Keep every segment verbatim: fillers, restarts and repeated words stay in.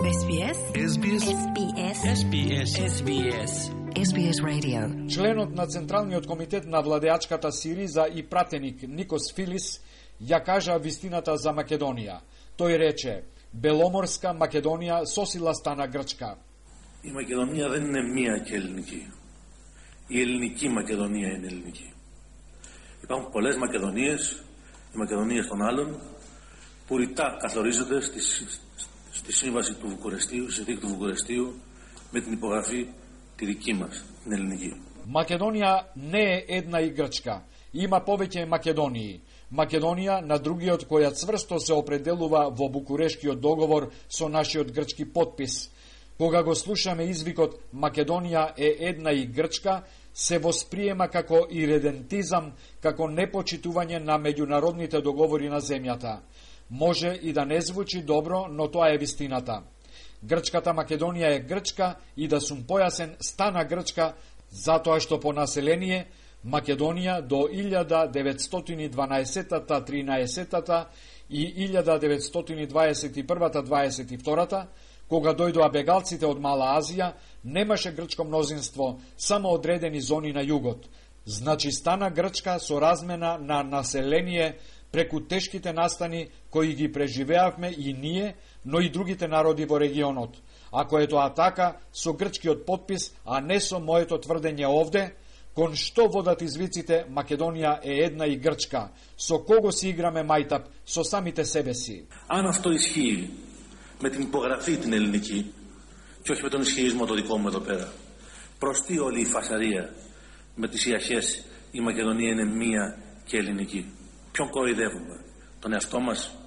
Ес Би Ес. Ес Би Ес. Ес Би Ес. Ес Би Ес. Ес Би Ес Radio. Членот на Централниот комитет на владеачката Сириза и пратеник Никос Филис ја кажа вистината за Македонија. Тој рече: Беломорска Македонија сосила стана Грчка. Η Μακεδονία δεν είναι μία και ελληνική. Η ελληνική Μακεδονία είναι ελληνική. Υπάρχουν πολλές Μακεδονίες, οι Μακεδονίες των άλλων, που ρητά καθορίζονται στη, στη σύμβαση του Βουκουρεστίου, στη συνθήκη του Βουκουρεστίου, με την υπογραφή τη δική μας, την ελληνική. Македонија не е една и Грчка. Има повеќе Македонии. Македонија на другиот која цврсто се определува во Букурешкиот договор со нашиот грчки подпис. Кога го слушаме извикот Македонија е една и Грчка, се восприема како иредентизам, како непочитување на меѓународните договори на земјата. Може и да не звучи добро, но тоа е вистината. Грчката Македонија е Грчка и да сум појасен, стана Грчка затоа што по население Македонија до илјада деветстотини и дванаесетта тринаесетта и илјада деветстотини дваесет и првата дваесет и втората, кога дојдоа бегалците од Мала Азија, немаше грчко мнозинство, само одредени зони на југот. Значи стана Грчка со размена на население преку тешките настани кои ги преживеавме и ние, но и другите народи во регионот. Ако е тоа така, со грчкиот подпис, а не со моето тврдење овде, кон што водат извиците Македонија е една и Грчка? Со кого си играме мајтап? Со самите себе си. Αν αυτό ισχύει με την υπογραφή την ελληνική και όχι με τον ισχυρισμό το δικό μου εδώ πέρα, προς τι όλη η φασαρία με τις ιαχές η Μακεδονία είναι μία και ελληνική? Ποιον κοροϊδεύουμε? Τον εαυτό μας?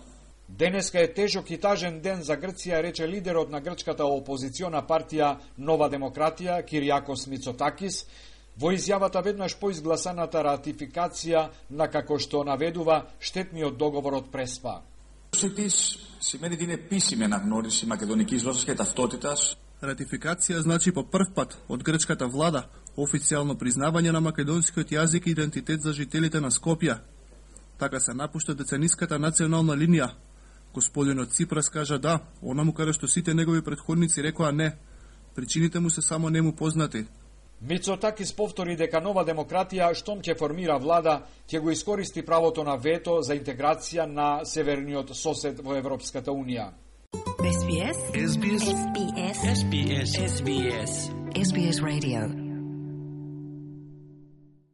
Денеска е тежок и тажен ден за Грција, рече лидерот на грчката опозициона партија Нова демократија Кириакос Мицотакис, во изјавата веднаш по изгласаната ратификација на, како што наведува, штетниот договор од Преспа. Σημαίνει την επίσημη αναγνώριση μακεδονικής γλώσσας και ταυτότητας. Ратификација значи по прв пат од грчката влада официјално признавање на македонскиот јазик и идентитет за жителите на Скопје. Така се напушта децениската национална линија. Господинот Ципрас кажа да, онаму каде што сите негови претходници рекоа не. Причините му се само нему познати. Мицотакис повтори дека Нова демократија, штом ќе формира влада, ќе го искористи правото на вето за интеграција на северниот сосед во Европската Унија. Ес Би Ес. Ес Би Ес. Ес Би Ес. Ес Би Ес. Ес Би Ес Radio.